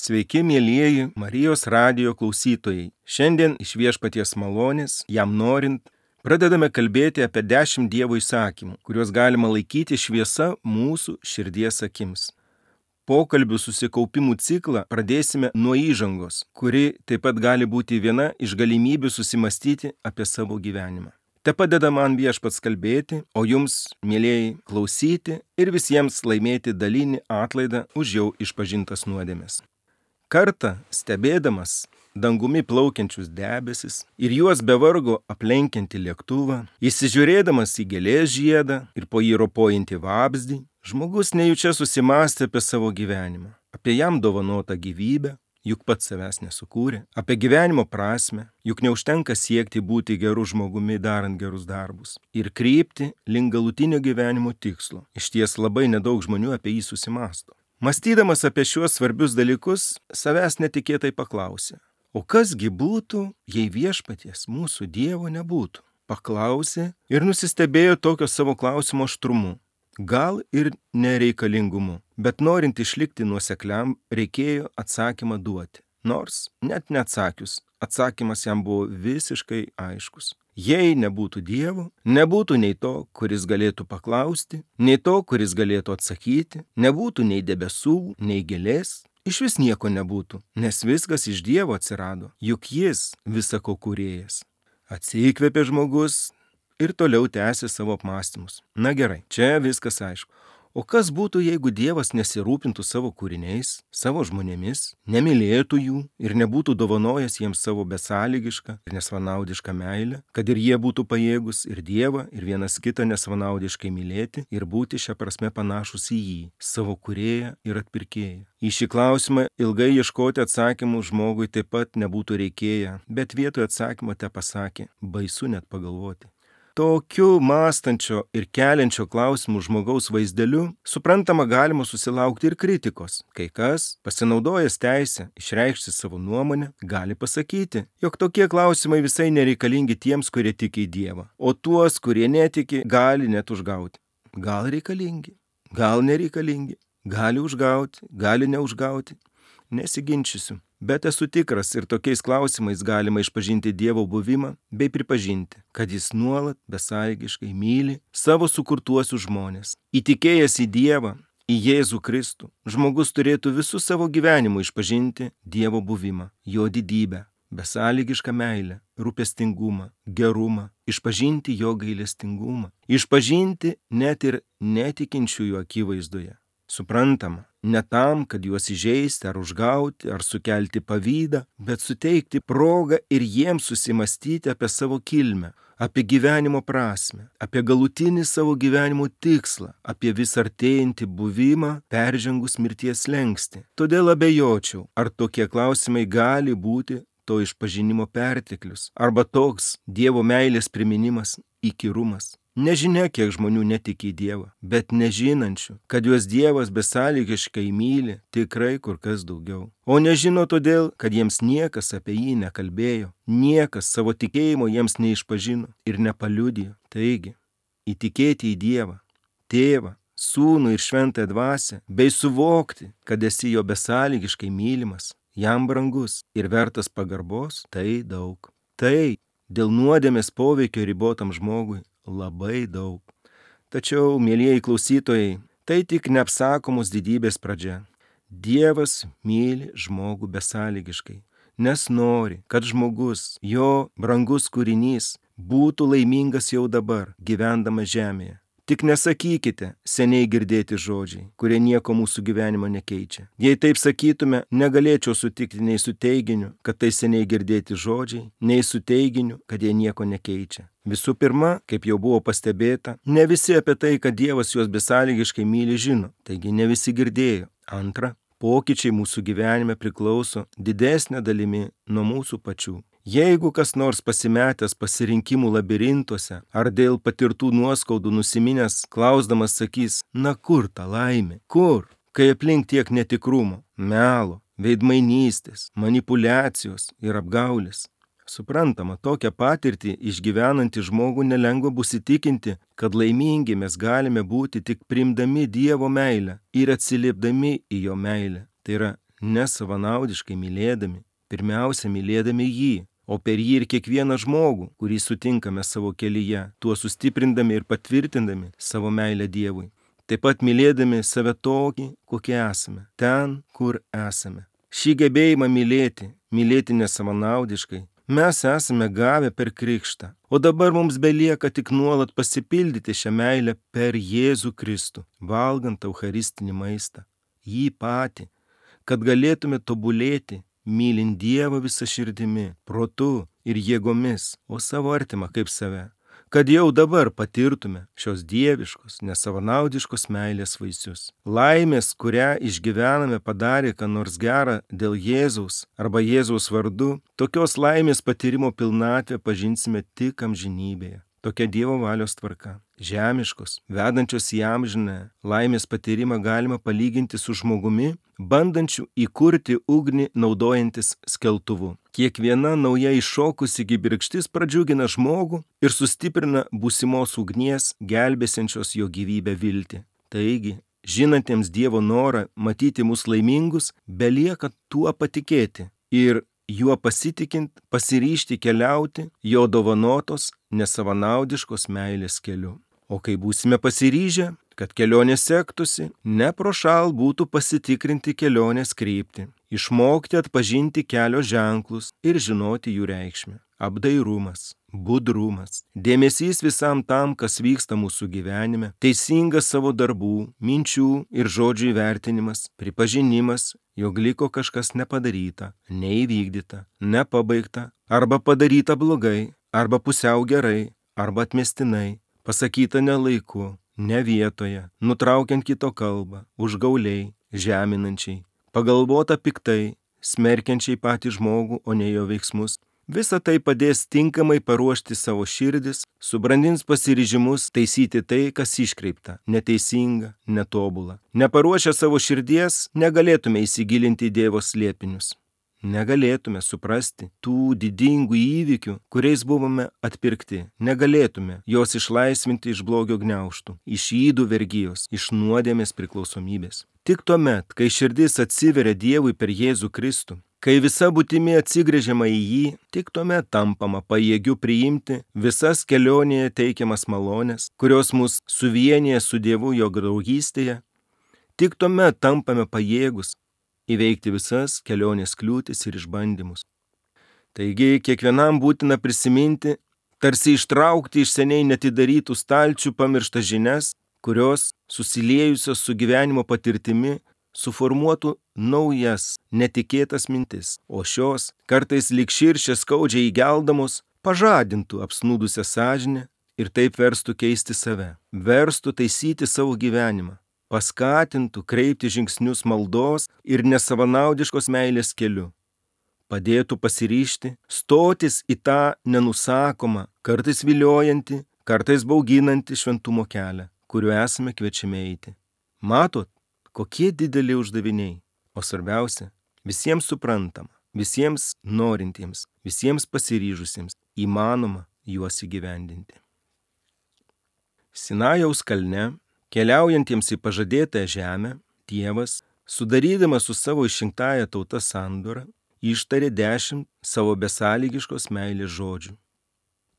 Sveiki, mielieji Marijos radijo klausytojai. Šiandien iš Viešpaties malonės, jam norint, pradedame kalbėti apie 10 Dievo įsakymų, kuriuos galima laikyti šviesa mūsų širdies akims. Pokalbių susikaupimų ciklą pradėsime nuo įžangos, kuri taip pat gali būti viena iš galimybių susimastyti apie savo gyvenimą. Te padeda man Viešpats kalbėti, o jums, mielieji, klausyti ir visiems laimėti dalinį atlaidą už jau išpažintas nuodėmes. Kartą stebėdamas dangumi plaukiančius debesis ir juos be vargo aplenkiantį lėktuvą, įsižiūrėdamas į gėlės žiedą ir po jį ropojantį vabzdį, žmogus nejučia susimąstė apie savo gyvenimą, apie jam dovanotą gyvybę, juk pats savęs nesukūrė, apie gyvenimo prasmę, juk neužtenka siekti būti geru žmogumi darant gerus darbus, ir krypti link galutinio gyvenimo tikslo. Išties labai nedaug žmonių apie jį susimąsto. Mąstydamas apie šiuos svarbius dalykus, savęs netikėtai paklausė, o kasgi būtų, jei Viešpaties mūsų Dievo nebūtų? Paklausė ir nusistebėjo tokio savo klausimo aštrumu, gal ir nereikalingumu, bet norint išlikti nuosekliam, reikėjo atsakymą duoti. Nors net neatsakius, atsakymas jam buvo visiškai aiškus. Jei nebūtų Dievo, nebūtų nei to, kuris galėtų paklausti, nei to, kuris galėtų atsakyti, nebūtų nei debesų, nei gėlės, išvis nieko nebūtų, nes viskas iš Dievo atsirado, juk jis visa ko kūrėjas. Atsikvėpė žmogus ir toliau tęsė savo apmąstymus. Na gerai, čia viskas aišku. O kas būtų, jeigu Dievas nesirūpintų savo kūriniais, savo žmonėmis, nemylėtų jų ir nebūtų dovanojęs jiems savo besąlygišką ir nesvanaudišką meilę, kad ir jie būtų pajėgus ir Dievą, ir vienas kitą nesvanaudiškai mylėti ir būti šią prasme panašus į jį, savo kūrėją ir atpirkėją? Į šį klausimą ilgai ieškoti atsakymų žmogui taip pat nebūtų reikėję, bet vietoj atsakymo te pasakė, baisu net pagalvoti. Tokiu mąstančio ir keliančio klausimų žmogaus vaizdeliu, suprantama, galima susilaukti ir kritikos. Kai kas, pasinaudojęs teisę išreikšti savo nuomonę, gali pasakyti, jog tokie klausimai visai nereikalingi tiems, kurie tiki į Dievą, o tuos, kurie netiki, gali net užgauti. Gal reikalingi, gal nereikalingi, gali užgauti, gali neužgauti. Nesiginčysiu. Bet esu tikras ir tokiais klausimais galima išpažinti Dievo buvimą bei pripažinti, kad jis nuolat besąlygiškai myli savo sukurtuosius žmonės. Įtikėjęs į Dievą, į Jėzų Kristų, žmogus turėtų visų savo gyvenimų išpažinti Dievo buvimą, jo didybę, besąlygišką meilę, rūpestingumą, gerumą, išpažinti jo gailestingumą, išpažinti net ir netikinčiųjų akivaizdoje. Suprantama, ne tam, kad juos įžeisti ar užgauti, ar sukelti pavydą, bet suteikti progą ir jiems susimastyti apie savo kilmę, apie gyvenimo prasmę, apie galutinį savo gyvenimo tikslą, apie vis artėjantį buvimą peržengus mirties slenkstį. Todėl abejočiau, ar tokie klausimai gali būti to išpažinimo perteklius, arba toks Dievo meilės priminimas įkyrumas. Nežinia, kiek žmonių netiki į Dievą, bet nežinančių, kad juos Dievas besąlygiškai myli, tikrai kur kas daugiau. O nežino todėl, kad jiems niekas apie jį nekalbėjo, niekas savo tikėjimo jiems neišpažino ir nepaliudijo. Taigi, įtikėti į Dievą, Tėvą, Sūnų ir Šventąją Dvasią, bei suvokti, kad esi jo besąlygiškai mylimas, jam brangus ir vertas pagarbos, tai daug. Tai dėl nuodėmės poveikio ribotam žmogui labai daug. Tačiau, mielieji klausytojai, tai tik neapsakomos didybės pradžia. Dievas myli žmogų besąlygiškai, nes nori, kad žmogus, jo brangus kūrinys, būtų laimingas jau dabar, gyvendamas žemėje. Tik nesakykite seniai girdėti žodžiai, kurie nieko mūsų gyvenimo nekeičia. Jei taip sakytume, negalėčiau sutikti nei su teiginiu, kad tai seniai girdėti žodžiai, nei su teiginiu, kad jie nieko nekeičia. Visų pirma, kaip jau buvo pastebėta, ne visi apie tai, kad Dievas juos besąlygiškai myli, žino, taigi ne visi girdėjo. Antra, pokyčiai mūsų gyvenime priklauso didesnė dalimi nuo mūsų pačių. Jeigu kas nors pasimetęs pasirinkimų labirintuose ar dėl patirtų nuoskaudų nusiminęs, klausdamas sakys, na kur ta laimė, kur, kai aplink tiek netikrumo, melo, veidmainystės, manipulacijos ir apgaulės. Suprantama, tokią patirtį išgyvenantį žmogų nelengva bus įtikinti, kad laimingi mes galime būti tik priimdami Dievo meilę ir atsiliepdami į jo meilę. Tai yra nesavanaudiškai mylėdami, pirmiausia mylėdami jį, o per jį ir kiekvieną žmogų, kurį sutinkame savo kelyje, tuo sustiprindami ir patvirtindami savo meilę Dievui. Taip pat mylėdami save tokį, kokie esame, ten, kur esame. Šį gebėjimą mylėti nesavanaudiškai, mes esame gavę per krikštą, o dabar mums belieka tik nuolat pasipildyti šią meilę per Jėzų Kristų, valgant eucharistinį maistą, jį patį, kad galėtume tobulėti, mylint Dievą visą širdimi, protu ir jėgomis, o savo artimą kaip save, kad jau dabar patirtume šios dieviškos, nesavanaudiškos meilės vaisius. Laimės, kurią išgyvename, padarė ką nors gerą dėl Jėzaus arba Jėzaus vardu, tokios laimės patyrimo pilnatvę pažinsime tik amžinybėje. Tokia Dievo valios tvarka. Žemiškos, vedančios į amžinę laimės patyrimą galima palyginti su žmogumi, bandančiu įkurti ugnį naudojantis skeltuvu. Kiekviena nauja iššokusi kibirkštis pradžiugina žmogų ir sustiprina būsimos ugnies gelbėsiančios jo gyvybę viltį. Taigi, žinantiems Dievo norą matyti mus laimingus, belieka tuo patikėti ir juo pasitikint pasiryžti keliauti jo dovanotos nesavanaudiškos meilės keliu. O kai būsime pasiryžę, kad kelionė sektųsi, neprošal būtų pasitikrinti kelionės kryptį, išmokti atpažinti kelio ženklus ir žinoti jų reikšmę. Apdairumas, budrumas, dėmesys visam tam, kas vyksta mūsų gyvenime, teisingas savo darbų, minčių ir žodžių įvertinimas, pripažinimas, jog liko kažkas nepadaryta, neįvykdyta, nepabaigta, arba padaryta blogai, arba pusiau gerai, arba atmestinai, pasakyta ne laiku, ne vietoje, nutraukiant kito kalbą, užgauliai, žeminančiai, pagalvota piktai, smerkiančiai patį žmogų, o ne jo veiksmus. Visa tai padės tinkamai paruošti savo širdis, subrandins pasiryžimus taisyti tai, kas iškreipta, neteisinga, netobula. Neparuošę savo širdies, negalėtume įsigilinti į Dievo slėpinius. Negalėtume suprasti tų didingų įvykių, kuriais buvome atpirkti. Negalėtume jos išlaisvinti iš blogio gniaužtų, iš ydų vergijos, iš nuodėmės priklausomybės. Tik tuomet, kai širdis atsiveria Dievui per Jėzų Kristų, kai visa būtimi atsigręžiama į jį, tik tuomet tampama pajėgiu priimti visas kelionėje teikiamas malones, kurios mus suvienyje su Dievu jo draugystėje, tik tuomet tampame pajėgus įveikti visas kelionės kliūtis ir išbandymus. Taigi kiekvienam būtina prisiminti, tarsi ištraukti iš seniai netidarytų stalčių pamirštas žinias, kurios, susiliejusios su gyvenimo patirtimi, suformuotų naujas, netikėtas mintis, o šios, kartais lyg širšė skaudžiai įgeldamos, pažadintų apsnūdusią sąžinę ir taip verstų keisti save, verstų taisyti savo gyvenimą, paskatintų kreipti žingsnius maldos ir nesavanaudiškos meilės keliu, padėtų pasiryžti, stotis į tą nenusakomą, kartais viliojantį, kartais bauginantį šventumo kelią, kuriuo esame kviečiami eiti. Matot, kokie dideli uždaviniai, o svarbiausia, visiems suprantama, visiems norintiems, visiems pasiryžusiems, įmanoma juos įgyvendinti. Sinajaus kalne, keliaujantiems į pažadėtąją žemę, Dievas, sudarydamas su savo išrinktąja tauta sandorą, ištarė 10 savo besąlygiškos meilės žodžių.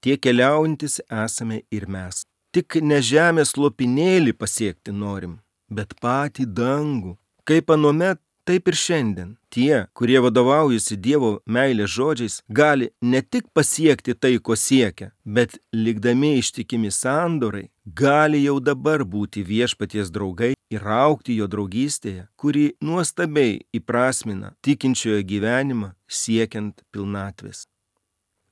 Tie keliaujantis esame ir mes. Tik ne žemės lopinėlį pasiekti norim, bet patį dangų. Kaip anuomet, taip ir šiandien. Tie, kurie vadovaujasi Dievo meilės žodžiais, gali ne tik pasiekti tai, ko siekia, bet likdami ištikimi sandorai, gali jau dabar būti viešpaties draugai ir augti jo draugystėje, kuri nuostabiai įprasmina tikinčiojo gyvenimą siekiant pilnatvės.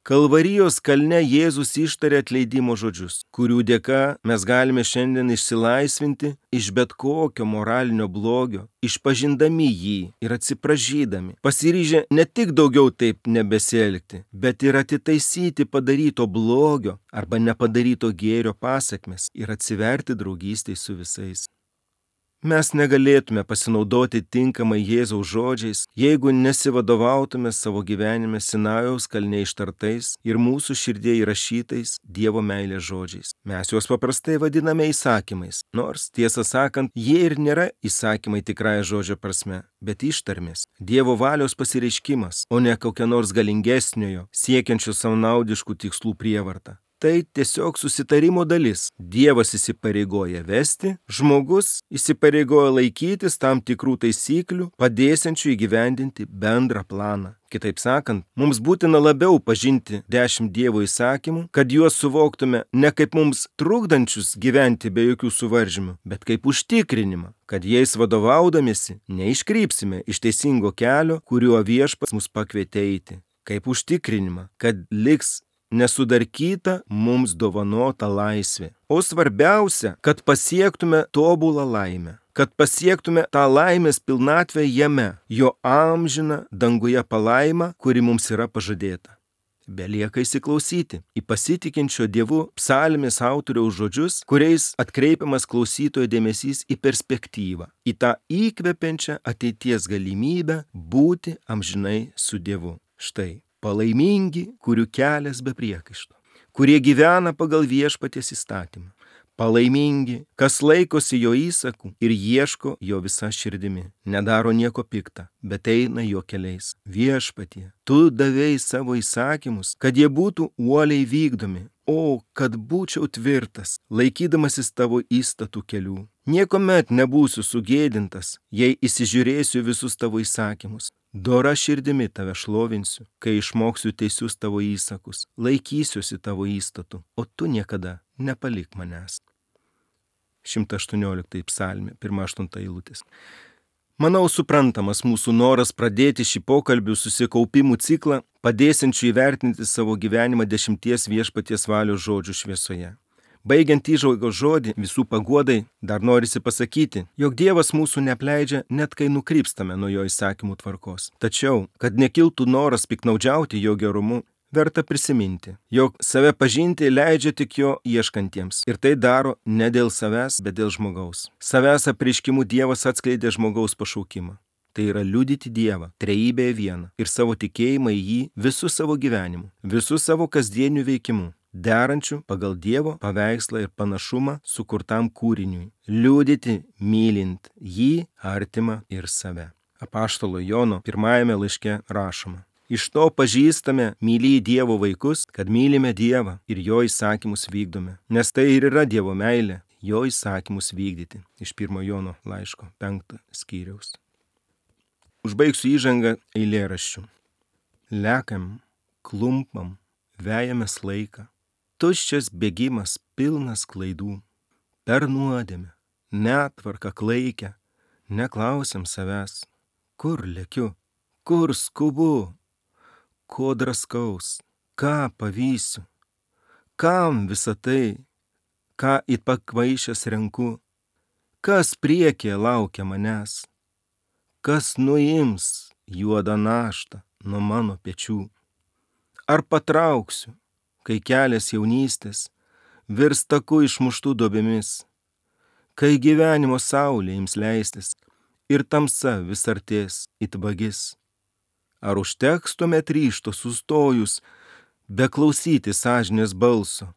Kalvarijos kalne Jėzus ištarė atleidimo žodžius, kurių dėka mes galime šiandien išsilaisvinti iš bet kokio moralinio blogio, išpažindami jį ir atsiprašydami, pasiryžę ne tik daugiau taip nebesielgti, bet ir atitaisyti padaryto blogio arba nepadaryto gėrio pasekmes ir atsiverti draugystei su visais. Mes negalėtume pasinaudoti tinkamai Jėzaus žodžiais, jeigu nesivadovautume savo gyvenime Sinajaus kalne ištartais ir mūsų širdie įrašytais Dievo meilės žodžiais. Mes juos paprastai vadiname įsakymais, nors, tiesą sakant, jie ir nėra įsakymai tikrąja žodžio prasme, bet ištarmės, Dievo valios pasireiškimas, o ne kokia nors galingesniojo, siekiančio savanaudiškų tikslų prievarta. Tai tiesiog susitarimo dalis. Dievas įsipareigoja vesti, žmogus įsipareigoja laikytis tam tikrų taisyklių, padėsiančių įgyvendinti bendrą planą. Kitaip sakant, mums būtina labiau pažinti 10 Dievo įsakymų, kad juos suvoktume ne kaip mums trukdančius gyventi be jokių suvaržymų, bet kaip užtikrinimą, kad jais vadovaudamiesi neiškrypsime iš teisingo kelio, kuriuo Viešpats mus pakvietė eiti. Kaip užtikrinimą, kad liks nesudarkyta mums dovanota laisvė. O svarbiausia, kad pasiektume tobulą laimę, kad pasiektume tą laimės pilnatvę jame, jo amžiną danguje palaimą, kuri mums yra pažadėta. Belieka įsiklausyti į pasitikinčio Dievu psalmės autoriaus žodžius, kuriais atkreipiamas klausytojo dėmesys į perspektyvą, į tą įkvepiančią ateities galimybę būti amžinai su Dievu. Štai. Palaimingi, kurių kelias be priekaišto, kurie gyvena pagal Viešpaties įstatymą. Palaimingi, kas laikosi jo įsakų ir ieško jo visa širdimi. Nedaro nieko pikta, bet eina jo keliais. Viešpatie, tu davei savo įsakymus, kad jie būtų uoliai vykdomi. O, kad būčiau tvirtas, laikydamasis tavo įstatų kelių. Niekuomet nebūsiu sugėdintas, jei įsižiūrėsiu visus tavo įsakymus. Dora širdimi tave šlovinsiu, kai išmoksiu teisius tavo įsakus, laikysiuosi tavo įstatų, o tu niekada nepalik manęs. 118 psalmė, 1-8 eilutės. Manau, suprantamas mūsų noras pradėti šį pokalbių susikaupimų ciklą, padėsiančių įvertinti savo gyvenimą 10 Viešpaties valios žodžių šviesoje. Baigiant įžvalgos žodį visų paguodai, dar norisi pasakyti, jog Dievas mūsų neapleidžia net kai nukrypstame nuo jo įsakymų tvarkos. Tačiau, kad nekiltų noras piknaudžiauti jo gerumu, verta prisiminti, jog save pažinti leidžia tik jo ieškantiems. Ir tai daro ne dėl savęs, bet dėl žmogaus. Savęs apreiškimu Dievas atskleidė žmogaus pašaukimą. Tai yra liudyti Dievą, trejybėje vieną, ir savo tikėjimą į jį visų savo gyvenimu, visų savo kasdienių veikimų, derančių pagal Dievo paveikslą ir panašumą sukurtam kūriniui. Liudyti, mylint jį, artimą ir save. Apaštalo Jono 1 laiške rašoma. Iš to pažįstame mylį Dievo vaikus, kad mylime Dievą ir jo įsakymus vykdome. Nes tai ir yra Dievo meilė, jo įsakymus vykdyti. Iš 1 Jono laiško 5 skyriaus. Užbaigsiu įžangą eilėraščių. Lekam, klumpam, vejamės laiką. Tuščias bėgimas pilnas klaidų. Per nuodėmę, netvarką klaikę, neklausiam savęs. Kur lekiu, kur skubu, ko draskaus, ką pavysiu, kam visa tai, ką it pakvaišęs renku, kas priekyje laukia manęs, kas nuims juodą naštą nuo mano pečių. Ar patrauksiu, kai kelias jaunystės virs taku išmuštų duobėmis, kai gyvenimo saulė ims leistis ir tamsa vis artės it vagis. Ar užteks tuomet ryžto sustojus, beklausyti sąžinės balso,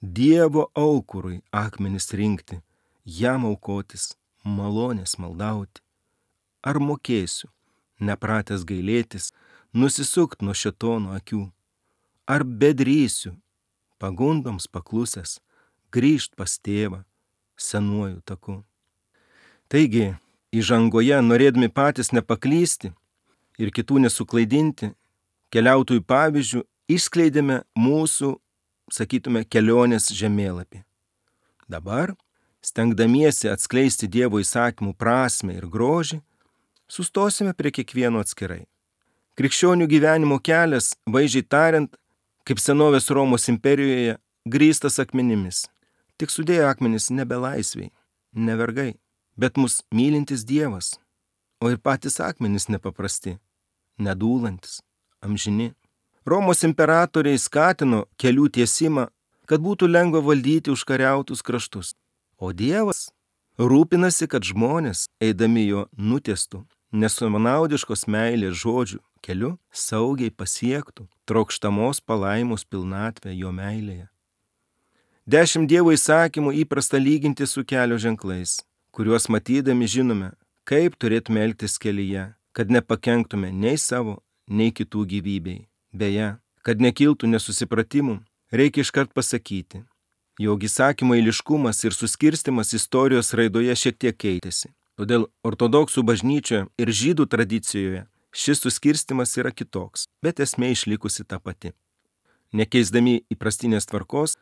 Dievo aukurui akmenis rinkti, jam aukotis, malonės maldauti? Ar mokėsiu, nepratęs gailėtis, nusisukt nuo šėtono akių? Ar bedrysiu, pagundoms paklusęs, grįžt pas tėvą senuoju taku? Taigi, įžangoje, norėdami patys nepaklysti ir kitų nesuklaidinti, keliautojų pavyzdžių išskleidėme mūsų, sakytume, kelionės žemėlapį. Dabar, stengdamiesi atskleisti Dievo įsakymų prasmę ir grožį, sustosime prie kiekvieno atskirai. Krikščionių gyvenimo kelias, vaizdžiai tariant, kaip senovės Romos imperijoje, grįstas akmenimis. Tik sudėjo akmenis nebe laisviai, ne vergai, bet mus mylintis Dievas, o ir patys akmenys nepaprasti, nedūlantis, amžini. Romos imperatoriai skatino kelių tiesimą, kad būtų lengva valdyti užkariautus kraštus. O Dievas Rūpinasi, kad žmonės, eidami jo nutiestų, nesavanaudiškos meilės žodžių keliu, saugiai pasiektų trokštamos palaimos pilnatvę jo meilėje. 10 Dievo įsakymų įprasta lyginti su kelio ženklais, kuriuos matydami žinome, kaip turėtume elgtis kelyje, kad nepakenktume nei savo, nei kitų gyvybei. Beje, kad nekiltų nesusipratimų, reikia iškart pasakyti, jog įsakymo eiliškumas ir suskirstimas istorijos raidoje šiek tiek keitėsi. Todėl ortodoksų bažnyčioje ir žydų tradicijoje šis suskirstimas yra kitoks, bet esmė išlikusi ta pati. Nekeisdami įprastinės tvarkos,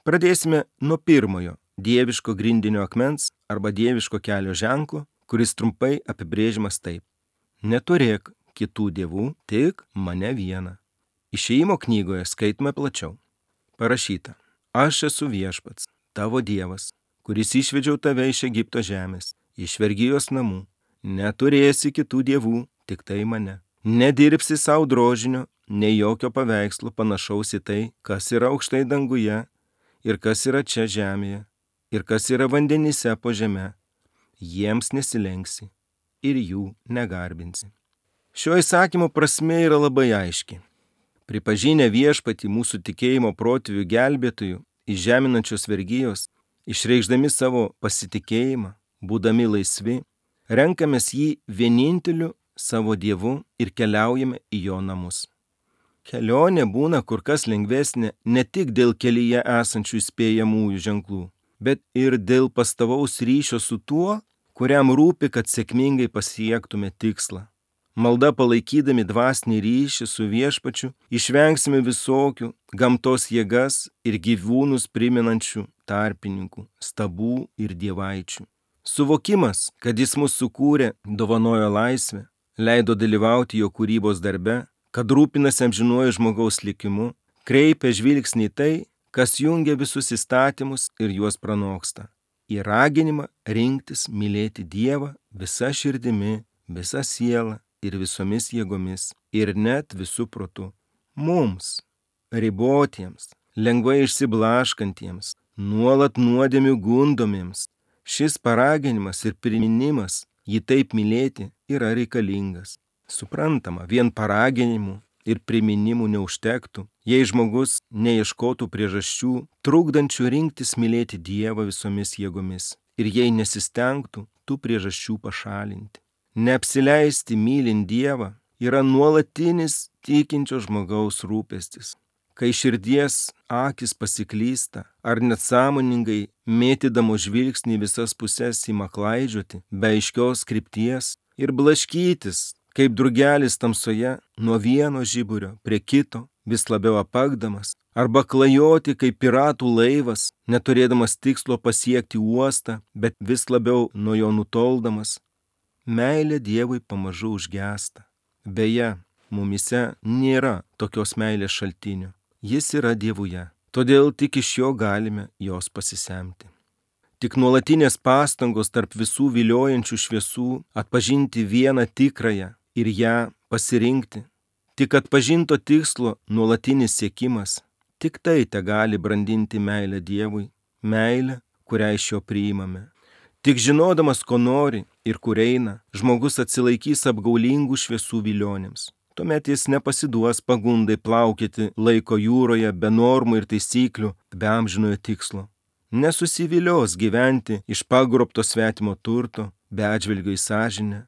pradėsime nuo pirmojo dieviško grindinio akmens arba dieviško kelio ženklo, kuris trumpai apibrėžimas taip. Neturėk kitų dievų, tik mane vieną. Išėjimo knygoje skaitome plačiau. Parašyta, aš esu viešpats, tavo dievas, kuris išvedžiau tave iš Egipto žemės, iš vergijos namų. Neturėsi kitų dievų, tik tai mane. Nedirbsi savo drožinio, nei jokio paveikslo panašaus į tai, kas yra aukštai danguje ir kas yra čia žemėje, ir kas yra vandenyse po žeme. Jiems nesilenksi ir jų negarbinsi. Šio įsakymo prasmė yra labai aiški. Pripažinę viešpatį mūsų tikėjimo protėvių gelbėtojų iš žeminančios vergijos, išreikšdami savo pasitikėjimą, būdami laisvi, renkamės jį vieninteliu savo dievu ir keliaujame į jo namus. Kelionė būna kur kas lengvesnė ne tik dėl kelyje esančių įspėjamųjų ženklų, bet ir dėl pastovaus ryšio su tuo, kuriam rūpi, kad sėkmingai pasiektume tikslą. Malda palaikydami dvasinį ryšį su viešpačiu, išvengsime visokių gamtos jėgas ir gyvūnus primenančių tarpininkų, stabų ir dievaičių. Suvokimas, kad jis mus sukūrė, dovanojo laisvę, leido dalyvauti jo kūrybos darbe, kad rūpinasi amžinuoju žmogaus likimu, kreipia žvilgsnį į tai, kas jungia visus įstatymus ir juos pranoksta. Į raginimą rinktis mylėti Dievą visa širdimi, visa siela ir visomis jėgomis, ir net visų protų. Mums, ribotiems, lengvai išsiblaškantiems, nuolat nuodėmių gundomiems, šis paraginimas ir priminimas jį taip mylėti yra reikalingas. Suprantama, vien paraginimų ir priminimų neužtektų, jei žmogus neieškotų priežasčių, trukdančių rinktis mylėti Dievą visomis jėgomis, ir jei nesistengtų tų priežasčių pašalinti. Neapsileisti mylint Dievą yra nuolatinis tikinčio žmogaus rūpestis. Kai širdies akis pasiklysta ar net sąmoningai mėtydamo žvilgsnį visas puses ima klaidžioti be aiškios krypties ir blaškytis, kaip drugelis tamsoje nuo vieno žiburio prie kito, vis labiau apakdamas, arba klajoti kaip piratų laivas, neturėdamas tikslo pasiekti uostą, bet vis labiau nuo jo nutoldamas, meilė Dievui pamažu užgęsta. Beje, mumise nėra tokios meilės šaltinio. Jis yra Dievuje, todėl tik iš jo galime jos pasisemti. Tik nuolatinės pastangos tarp visų viliojančių šviesų atpažinti vieną tikrąją ir ją pasirinkti, tik atpažinto tikslo nuolatinis siekimas, tik tai tegali brandinti meilę Dievui, meilę, kurią iš jo priimame. Tik žinodamas, ko nori ir kur eina, žmogus atsilaikys apgaulingų šviesų vilionėms. Tuomet jis nepasiduos pagundai plaukėti laiko jūroje be normų ir taisyklių, be amžinojo tikslo. Nesusivilios gyventi iš pagrobto svetimo turto, be atžvilgio į sąžinę,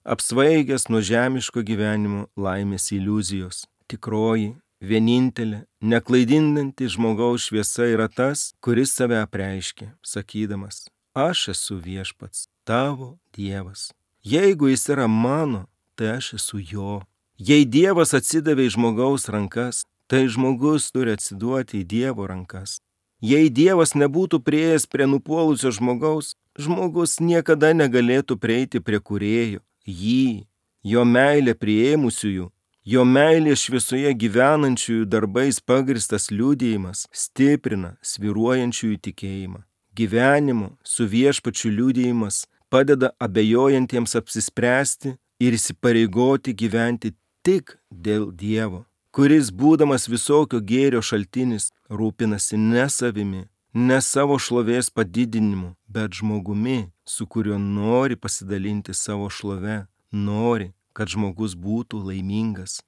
apsvaigęs nuo žemiško gyvenimo laimės iliuzijos. Tikroji, vienintelė, neklaidinanti žmogaus šviesa yra tas, kuris save apreiškė, sakydamas, aš esu viešpats, tavo Dievas. Jeigu jis yra mano, tai aš esu jo. Jei Dievas atsidavė į žmogaus rankas, tai žmogus turi atsiduoti į Dievo rankas. Jei Dievas nebūtų priėjęs prie nupuolusio žmogaus, žmogus niekada negalėtų prieiti prie kūrėjo, jį, jo meilę priėmusiųjų, jo meilė šviesoje gyvenančiųjų darbais pagristas liudijimas stiprina svyruojančiųjų tikėjimą. Gyvenimo su viešpačiu liudijimas padeda abejojantiems apsispręsti ir įsipareigoti gyventi tik dėl Dievo, kuris, būdamas visokio gėrio šaltinis, rūpinasi ne savimi, ne savo šlovės padidinimu, bet žmogumi, su kuriuo nori pasidalinti savo šlove, nori, kad žmogus būtų laimingas.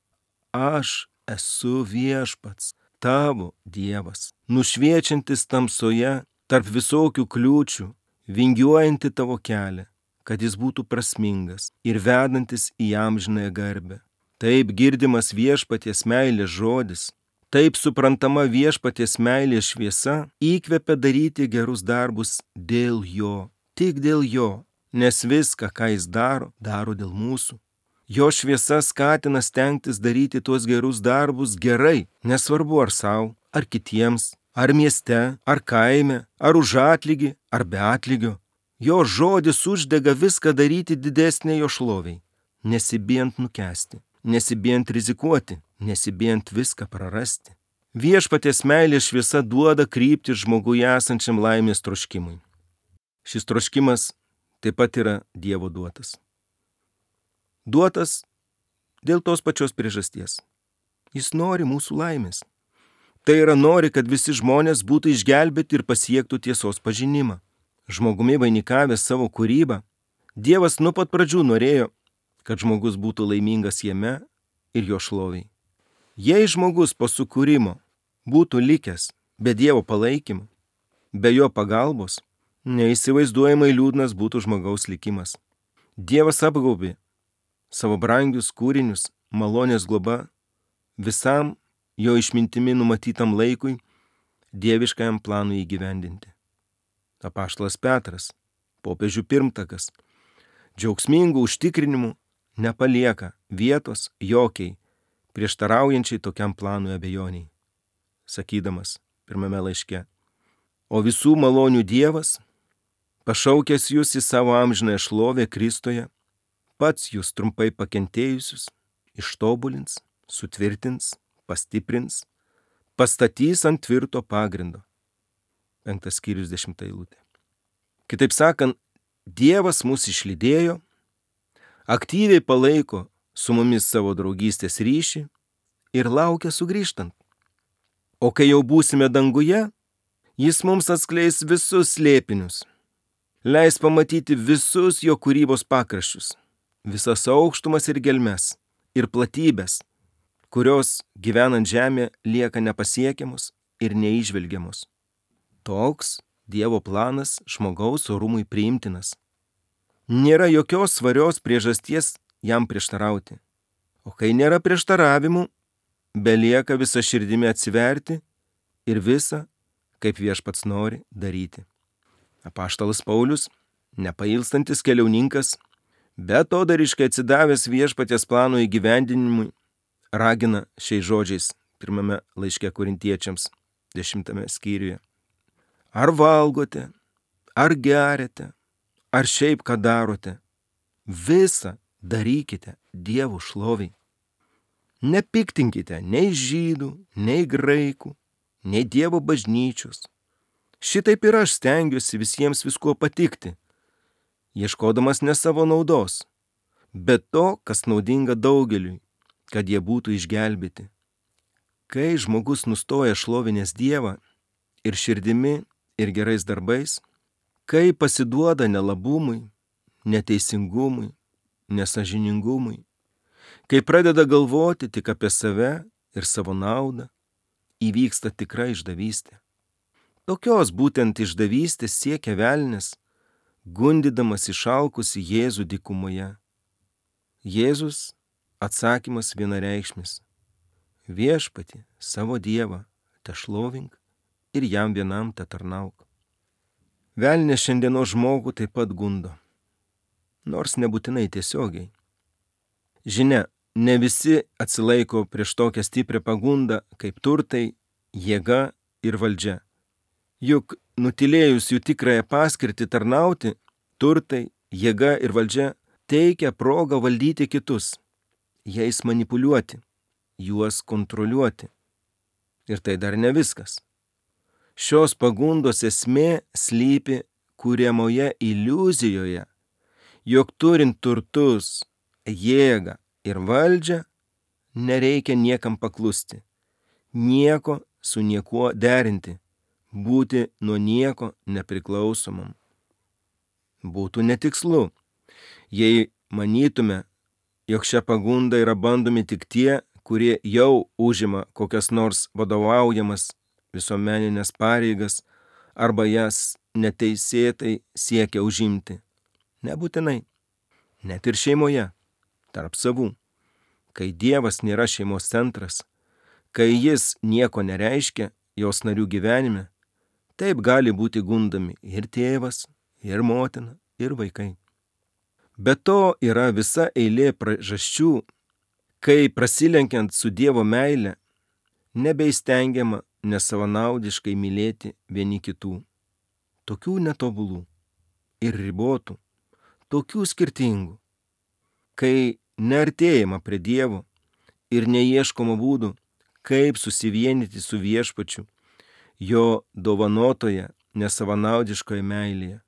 Aš esu Viešpats, tavo Dievas, nušviečiantis tamsoje tarp visokių kliūčių, vingiuojanti tavo kelią, kad jis būtų prasmingas ir vedantis į amžinąją garbę. Taip girdimas Viešpaties meilės žodis, taip suprantama Viešpaties meilės šviesa įkvepia daryti gerus darbus dėl jo, tik dėl jo, nes viską, ką jis daro, daro dėl mūsų. Jo šviesa skatina stengtis daryti tuos gerus darbus gerai, nesvarbu ar savo, ar kitiems, ar mieste, ar kaime, ar už atlygį, ar be atlygio. Jo žodis uždega viską daryti didesnė jo šloviai, nesibijant nukęsti, nesibijant rizikuoti, nesibijant viską prarasti. Viešpaties meilės šviesa duoda kryptį žmoguje esančiam laimės troškimui. Šis troškimas taip pat yra Dievo duotas. Duotas dėl tos pačios priežasties. Jis nori mūsų laimės. Tai yra nori, kad visi žmonės būtų išgelbėti ir pasiektų tiesos pažinimą. Žmogumi vainikavęs savo kūrybą, Dievas nuo pat pradžių norėjo, kad žmogus būtų laimingas jame ir jo šloviai. Jei žmogus po sukūrimo būtų likęs be Dievo palaikymo, be jo pagalbos, neįsivaizduojamai liūdnas būtų žmogaus likimas. Dievas apgaubė savo brangius kūrinius malonės globa visam jo išmintimi numatytam laikui dieviškajam planui įgyvendinti. Apaštalas Petras, popiežių pirmtakas, džiaugsmingų užtikrinimų nepalieka vietos jokiai prieštaraujančiai tokiam planui abejoniai, sakydamas pirmame laiške: o visų malonių Dievas, pašaukęs jūs į savo amžinąją šlovę Kristuje, pats jūs trumpai pakentėjusius ištobulins, sutvirtins, pastiprins, pastatys ant tvirto pagrindo. 5 skyrius 10 eilutė. Kitaip sakant, Dievas mus išlydėjo, aktyviai palaiko su mumis savo draugystės ryšį ir laukia sugrįžtant. O kai jau būsime danguje, jis mums atskleis visus slėpinius, leis pamatyti visus jo kūrybos pakraščius, visas aukštumas ir gelmes, ir platybės, kurios gyvenant žemė lieka nepasiekiamos ir neįžvelgiamos. Toks Dievo planas žmogaus orumui priimtinas. Nėra jokios svarios priežasties jam prieštarauti. O kai nėra prieštaravimų, belieka visa širdimi atsiverti ir visa, kaip Viešpats nori, daryti. Apaštalas Paulius, nepailstantis keliauninkas, betodariškai atsidavęs Viešpaties plano įgyvendinimui, ragina šiais žodžiais pirmame laiške Korintiečiams 10 skyriuje. Ar valgote, ar geriate, ar šiaip ką darote, visą darykite Dievo šloviai. Nepiktinkite nei žydų, nei graikų, nei Dievo bažnyčios. Šitaip ir aš stengiuosi visiems viskuo patikti, ieškodamas ne savo naudos, bet to, kas naudinga daugeliui, kad jie būtų išgelbėti. Kai žmogus nustoja šlovinęs Dievą ir širdimi, ir gerais darbais, kai pasiduoda nelabumui, neteisingumui, nesažiningumui, kai pradeda galvoti tik apie save ir savo naudą, įvyksta tikra išdavystė. Tokios būtent išdavystės siekia velnias, gundydamas išalkusį Jėzų dykumoje. Jėzus atsakymas vienareikšmis: Viešpatį, savo Dievą, tešlovink ir jam vienam tetarnauk. Velnias šiandienos žmogų taip pat gundo, nors nebūtinai tiesiogiai. Žinia, ne visi atsilaiko prieš tokią stiprią pagundą kaip turtai, jėga ir valdžia. Juk nutilėjus jų tikrąją paskirtį tarnauti, turtai, jėga ir valdžia teikia progą valdyti kitus, jais manipuliuoti, juos kontroliuoti. Ir tai dar ne viskas. Šios pagundos esmė slypi kuriamoje iliuzijoje, jog turint turtus, jėgą ir valdžią, nereikia niekam paklusti, nieko su niekuo derinti, būti nuo nieko nepriklausomam. Būtų netikslu, jei manytume, jog šią pagundą yra bandomi tik tie, kurie jau užima kokias nors vadovaujamas visuomeninės pareigas arba jas neteisėtai siekia užimti. Nebūtinai. Net ir šeimoje, tarp savų. Kai Dievas nėra šeimos centras, kai jis nieko nereiškia jos narių gyvenime, taip gali būti gundami ir tėvas, ir motina, ir vaikai. Be to yra visa eilė priežasčių, kai prasilenkiant su Dievo meile, nebeįstengiama nesavanaudiškai mylėti vieni kitų. Tokių netobulų ir ribotų, tokių skirtingų, kai neartėjama prie Dievo ir neieškoma būdų, kaip susivienyti su Viešpačiu, jo dovanotoje nesavanaudiškoje meilėje,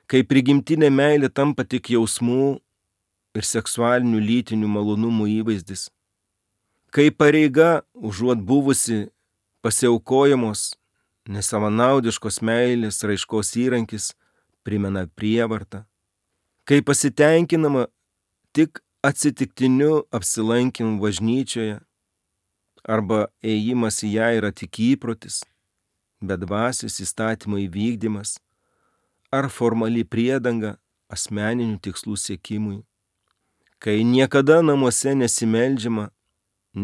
kai prigimtinė meilė tampa tik jausmų ir seksualinių lytinių malonumų įvaizdis, kai pareiga užuot buvusi pasiaukojamos nesavanaudiškos meilės raiškos įrankis primena prievartą, kai pasitenkinama tik atsitiktiniu apsilankymu bažnyčioje arba ėjimas į ją yra tik įprotis, bedvasis įstatymo įvykdymas ar formali priedanga asmeninių tikslų siekimui, kai niekada namuose nesimeldžiama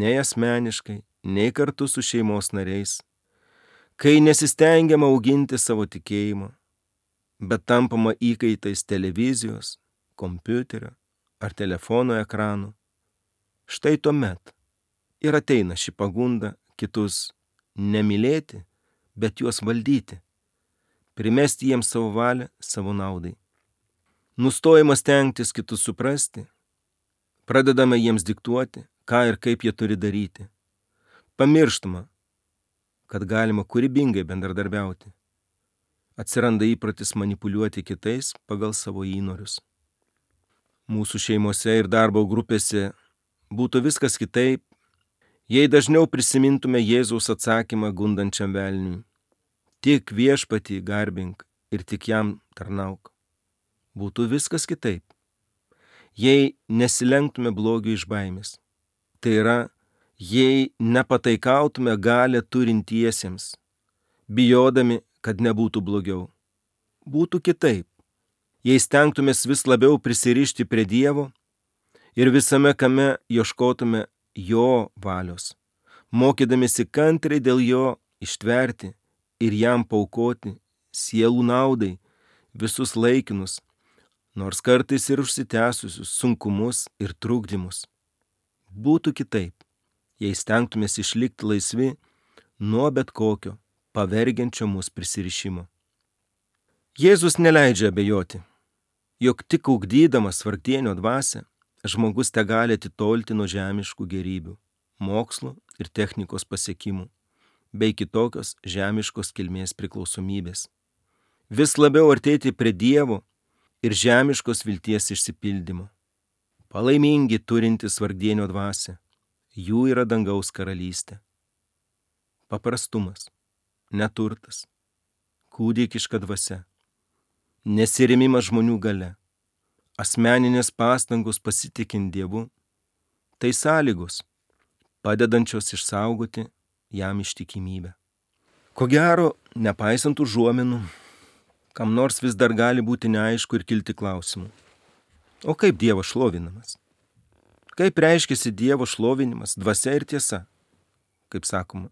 nei asmeniškai, nei kartu su šeimos nariais, kai nesistengiama auginti savo tikėjimą, bet tampama įkaitais televizijos, kompiuterio ar telefono ekranų. Štai tuomet ir ateina ši pagunda kitus nemylėti, bet juos valdyti, primesti jiems savo valią savo naudai. Nustojama stengtis kitus suprasti, pradedame jiems diktuoti, ką ir kaip jie turi daryti. Pamirštama, kad galima kūrybingai bendradarbiauti. Atsiranda įprotis manipuliuoti kitais pagal savo įnorius. Mūsų šeimose ir darbo grupėse būtų viskas kitaip, jei dažniau prisimintume Jėzaus atsakymą gundančiam velniui. Tik Viešpatį garbink ir tik jam tarnauk. Būtų viskas kitaip, jei nesilenktume blogiui iš baimės. Tai yra, jei nepataikautume galią turintiesiems, bijodami, kad nebūtų blogiau. Būtų kitaip, jei stengtumės vis labiau prisirišti prie Dievo ir visame kame ieškotume jo valios, mokydamėsi kantriai dėl jo ištverti ir jam paaukoti sielų naudai visus laikinus, nors kartais ir užsitęsusius sunkumus ir trukdymus. Būtų kitaip, jei stengtumės išlikti laisvi nuo bet kokio pavergiančio mus prisirišimo. Jėzus neleidžia abejoti, jog tik ugdydamas vargdienio dvasią, žmogus tegali atitolti nuo žemiškų gėrybių, mokslo ir technikos pasiekimų, bei kitokios žemiškos kilmės priklausomybės. Vis labiau artėti prie Dievo ir žemiškos vilties išsipildymo. Palaimingi turintys vargdienio dvasią, jų yra dangaus karalystė. Paprastumas, neturtas, kūdikiška dvasia, nesirėmimas žmonių galia, asmeninės pastangos pasitikint Dievu, tai sąlygos, padedančios išsaugoti jam ištikimybę. Ko gero, nepaisant užuominų, kam nors vis dar gali būti neaišku ir kilti klausimų. O kaip Dievas šlovinamas? Kaip reiškiasi Dievo šlovinimas, dvasia ir tiesa? Kaip sakoma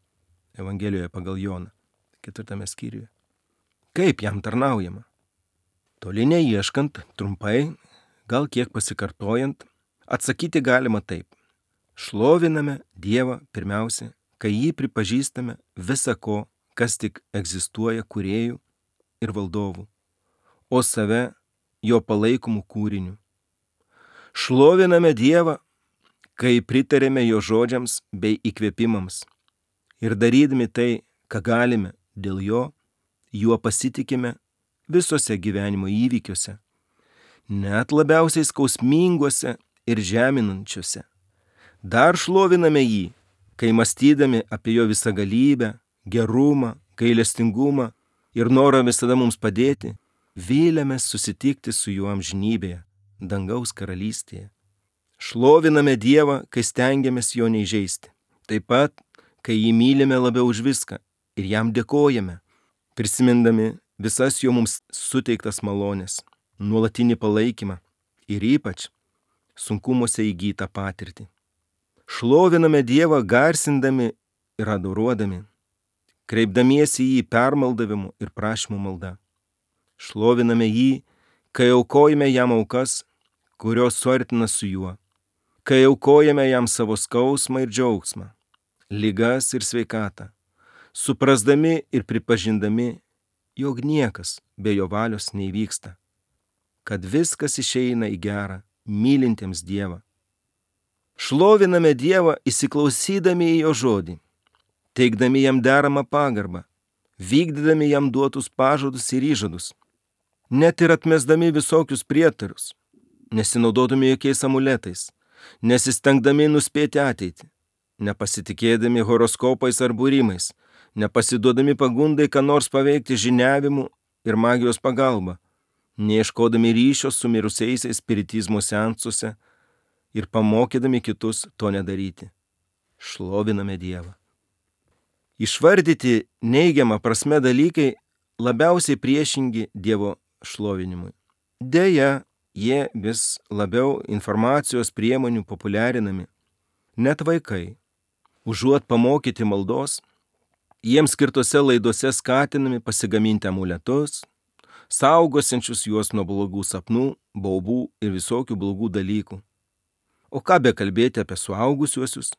Evangelijoje pagal Joną, 4 skyriuje. Kaip jam tarnaujama? Toli neieškant, trumpai, gal kiek pasikartojant, atsakyti galima taip. Šloviname Dievą pirmiausia, kai jį pripažįstame visa ko, kas tik egzistuoja kūrėjų ir valdovų, o save jo palaikomų kūrinių. Šloviname Dievą, kai pritarėme jo žodžiams bei įkvėpimams ir darydami tai, ką galime dėl jo, juo pasitikime visose gyvenimo įvykiuose, net labiausiai skausminguose ir žeminančiuose. Dar šloviname jį, kai mąstydami apie jo visagalybę, gerumą, gailestingumą ir norą visada mums padėti, Vylėmės susitikti su juo amžinybėje, dangaus karalystėje. Šloviname Dievą, kai stengiamės jo neįžeisti. Taip pat, kai jį mylime labiau už viską ir jam dėkojame, prisimindami visas jo mums suteiktas malonės, nuolatinį palaikymą ir ypač sunkumuose įgytą patirtį. Šloviname Dievą garsindami ir adoruodami, kreipdamiesi į jį permaldavimu ir prašymų malda. Šloviname jį, kai aukojame jam aukas, kurios suartina su juo, kai aukojame jam savo skausmą ir džiaugsmą, ligas ir sveikatą, suprasdami ir pripažindami, jog niekas be jo valios neįvyksta, kad viskas išeina į gerą, mylintiems Dievą. Šloviname Dievą įsiklausydami į jo žodį, teikdami jam deramą pagarbą, vykdydami jam duotus pažadus ir įžadus, net ir atmesdami visokius prietarus, nesinaudodami jokiais amuletais, nesistengdami nuspėti ateitį, nepasitikėdami horoskopais ar būrimais, nepasiduodami pagundai, ką nors paveikti žiniavimu ir magijos pagalba, neieškodami ryšio su mirusiaisiais spiritizmo seansuose ir pamokydami kitus to nedaryti. Šloviname Dievą. Išvardyti neigiamą prasme dalykai labiausiai priešingi Dievo šlovinimui. Deja, jie vis labiau informacijos priemonių populiarinami. Net vaikai, užuot pamokyti maldos, jiems skirtose laidose skatinami pasigaminti amuletus, saugosiančius juos nuo blogų sapnų, baubų ir visokių blogų dalykų. O ką bekalbėti apie suaugusiuosius,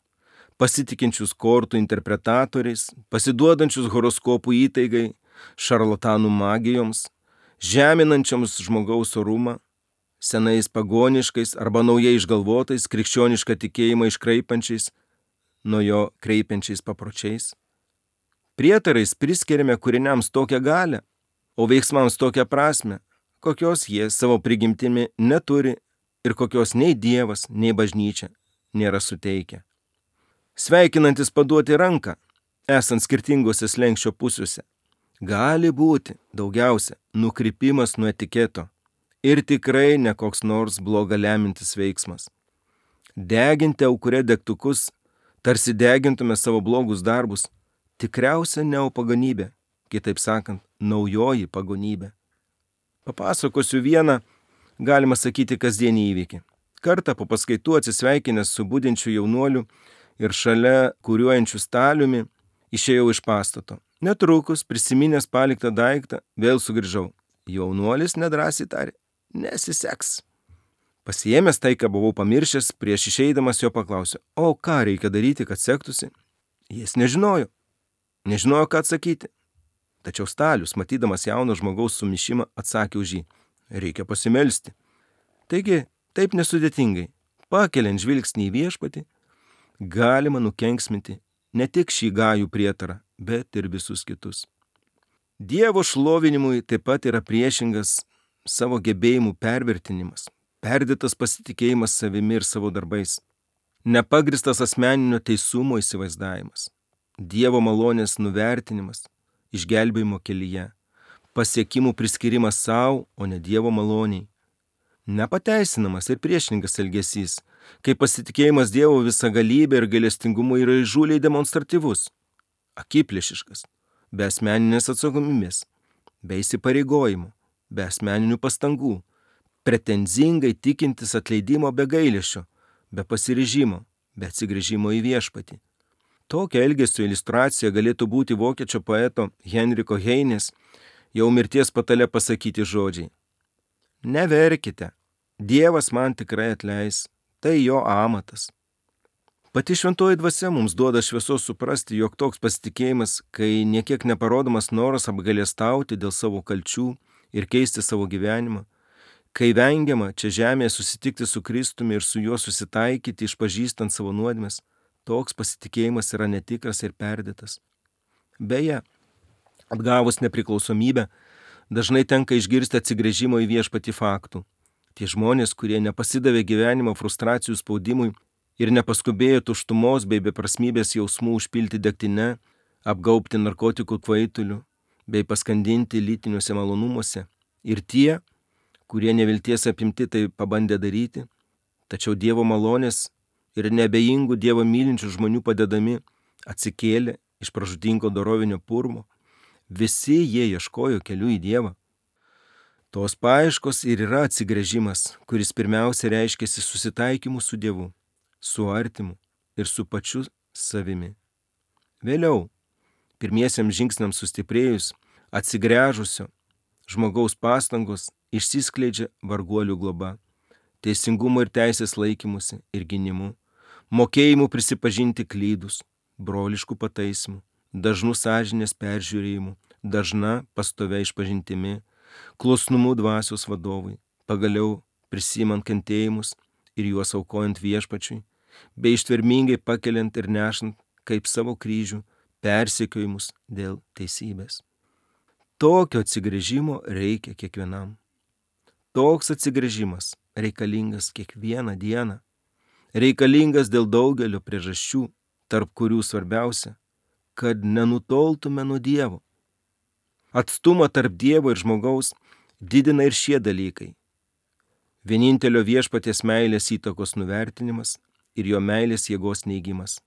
pasitikinčius kortų interpretatoriais, pasiduodančius horoskopų įtaigai, šarlatanų magijoms, žeminančioms žmogaus orumą, senais pagoniškais arba naujai išgalvotais krikščionišką tikėjimą iškraipančiais, nuo jo kreipiančiais papročiais. Prietarais priskiriame kūriniams tokią galią, o veiksmams tokią prasme, kokios jie savo prigimtimi neturi ir kokios nei Dievas, nei bažnyčia nėra suteikę. Sveikinantis paduoti ranką, esant skirtingose slenksčio pusėse, gali būti daugiausia nukrypimas nuo etiketo ir tikrai ne koks nors blogą lemintis veiksmas. Deginti aukure degtukus, tarsi degintume savo blogus darbus, tikriausia neopagonybė, kitaip sakant, naujoji pagonybė. Papasakosiu vieną, galima sakyti, kasdienį įvykį. Kartą po paskaitų atsisveikinęs su budinčiu jaunuoliu ir šalia kuriuojančiu staliumi, išėjau iš pastato. Netrukus, prisiminęs paliktą daiktą, vėl sugrįžau. Jaunuolis nedrąsiai tarė, nesiseks. Pasiėmęs tai, ką buvau pamiršęs, prieš išeidamas jo paklausė, o ką reikia daryti, kad sektųsi? Jis nežinojo, ką atsakyti. Tačiau stalius, matydamas jauno žmogaus sumišimą, atsakė už jį, reikia pasimelsti. Taigi, taip nesudėtingai, pakeliant žvilgsnį į viešpatį, galima nukenksminti ne tik šį gajų prietarą, bet ir visus kitus. Dievo šlovinimui taip pat yra priešingas savo gebėjimų pervertinimas, perdėtas pasitikėjimas savimi ir savo darbais, nepagristas asmeninio teisumo įsivaizdavimas, Dievo malonės nuvertinimas, išgelbėjimo kelyje, pasiekimų priskirimas savo, o ne Dievo maloniai, nepateisinamas ir priešingas elgesys, kai pasitikėjimas Dievo visagalybė ir gailestingumu yra įžūliai demonstratyvus, akiplėšiškas, be asmeninės atsakomybės, be įsipareigojimų, be asmeninių pastangų, pretenzingai tikintis atleidimo be gailesčio, be pasiryžimo, be atsigręžimo į viešpatį. Tokia elgesio iliustracija galėtų būti vokiečių poeto Henriko Heinės jau mirties patale pasakyti žodžiai. Neverkite, Dievas man tikrai atleis, tai jo amatas. Pati šventoji dvasia mums duoda šviesos suprasti, jog toks pasitikėjimas, kai niekiek neparodomas noras apgailestauti dėl savo kalčių ir keisti savo gyvenimą, kai vengiama čia žemėje susitikti su Kristumi ir su juo susitaikyti, išpažįstant savo nuodėmes, toks pasitikėjimas yra netikras ir perdėtas. Beje, atgavus nepriklausomybę, dažnai tenka išgirsti atsigręžimo į viešpatį faktų. Tie žmonės, kurie nepasidavė gyvenimo frustracijų spaudimui ir nepaskubėjo tuštumos bei beprasmybės jausmų užpilti degtine, apgaubti narkotikų kvaituliu bei paskandinti lytiniuose malonumuose, Ir tie, kurie nevilties apimti tai pabandė daryti, tačiau Dievo malonės ir neabejingų Dievo mylinčių žmonių padedami atsikėlė iš pražūtingo dorovinio purvo, visi jie ieškojo kelių į Dievą. Tos paieškos ir yra atsigręžimas, kuris pirmiausia reiškiasi susitaikymu su Dievu, su artimu ir su pačiu savimi. Vėliau, pirmiesiams žingsniams sustiprėjus, atsigręžusio žmogaus pastangos išsiskleidžia varguolių globa, teisingumo ir teisės laikymusi ir gynimu, mokėjimu prisipažinti klydus, broliškų pataisimų, dažnų sąžinės peržiūrėjimų, dažna pastovia išpažintimi, klusnumu dvasios vadovui, pagaliau prisimant kentėjimus ir juos aukojant viešpačiui, bei ištvermingai pakeliant ir nešant kaip savo kryžių persekiojimus dėl teisybės. Tokio atsigręžimo reikia kiekvienam. Toks atsigręžimas reikalingas kiekvieną dieną. Reikalingas dėl daugelio priežasčių, tarp kurių svarbiausia, kad nenutoltume nuo Dievo. Atstumą tarp Dievo ir žmogaus didina ir šie dalykai. Vienintelio viešpaties meilės įtakos nuvertinimas ir jo meilės jėgos neigimas.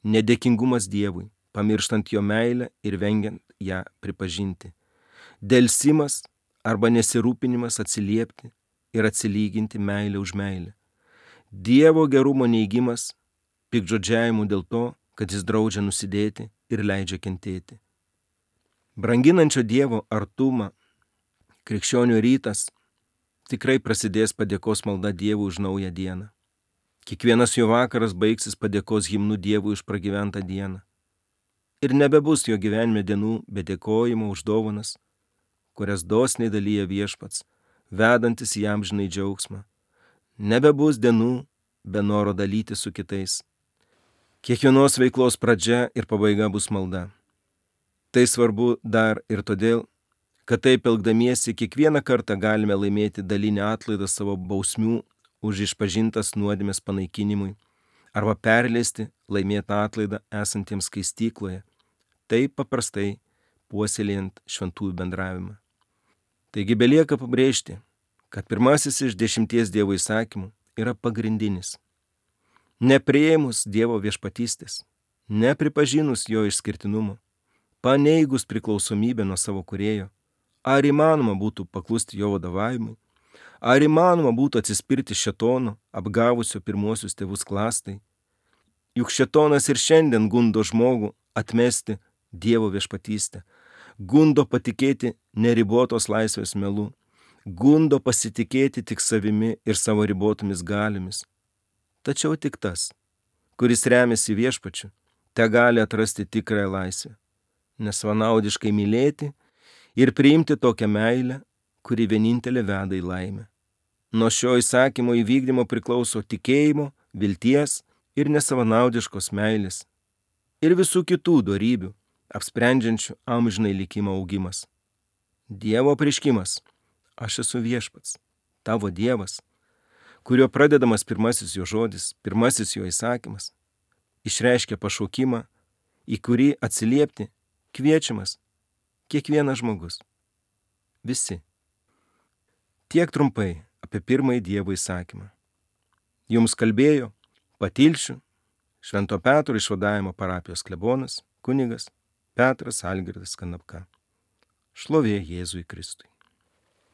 Nedėkingumas Dievui, pamirštant jo meilę ir vengiant ją pripažinti. Delsimas arba nesirūpinimas atsiliepti ir atsilyginti meilę už meilę. Dievo gerumo neigimas, piktžodžiavimų dėl to, kad jis draudžia nusidėti ir leidžia kentėti. Branginančio Dievo artumą krikščionių rytas tikrai prasidės padėkos malda Dievui už naują dieną. Kiekvienas jo vakaras baigsis padėkos himnu Dievui už pragyventą dieną. Ir nebebus jo gyvenime dienų be dėkojimo už dovanas, kurias dosniai dalyja viešpats, vedantis jam žinai džiaugsmą. Nebebus dienų be noro dalyti su kitais. Kiekvienos veiklos pradžia ir pabaiga bus malda. Tai svarbu dar ir todėl, kad taip elgdamiesi kiekvieną kartą galime laimėti dalinį atlaidą savo bausmių už išpažintas nuodėmės panaikinimui arba perleisti laimėtą atlaidą esantiems skaistykloje, taip paprastai puoselėjant šventųjų bendravimą. Taigi belieka pabrėžti, kad pirmasis iš 10 Dievo įsakymų yra pagrindinis. Nepriėmus Dievo viešpatystės, nepripažinus jo išskirtinumo, paneigus priklausomybę nuo savo kūrėjo, ar įmanoma būtų paklusti jo vadovavimui, ar įmanoma būtų atsispirti šėtono, apgavusio pirmuosius tėvus klastai. Juk šėtonas ir šiandien gundo žmogų atmesti Dievo viešpatystę, gundo patikėti neribotos laisvės melu, gundo pasitikėti tik savimi ir savo ribotomis galiomis. Tačiau tik tas, kuris remiasi viešpačiu, te gali atrasti tikrąją laisvę, nesvanaudiškai mylėti ir priimti tokią meilę, kuri vienintelė veda į laimę. Nuo šio įsakymo įvykdymo priklauso tikėjimo, vilties ir nesavanaudiškos meilės ir visų kitų dorybių, apsprendžiančių amžinai likimo augimas. Dievo apreiškimas, aš esu viešpats, tavo Dievas, kurio pradedamas pirmasis jo žodis, pirmasis jo įsakymas, išreiškia pašaukimą, į kurį atsiliepti kviečiamas kiekvienas žmogus. Visi. Tiek trumpai apie pirmąjį Dievo įsakymą. Jums kalbėjo Patilšių Švento Petro išvadavimo parapijos klebonas, kunigas Petras Algirdas Kanapka. Šlovė Jėzui Kristui.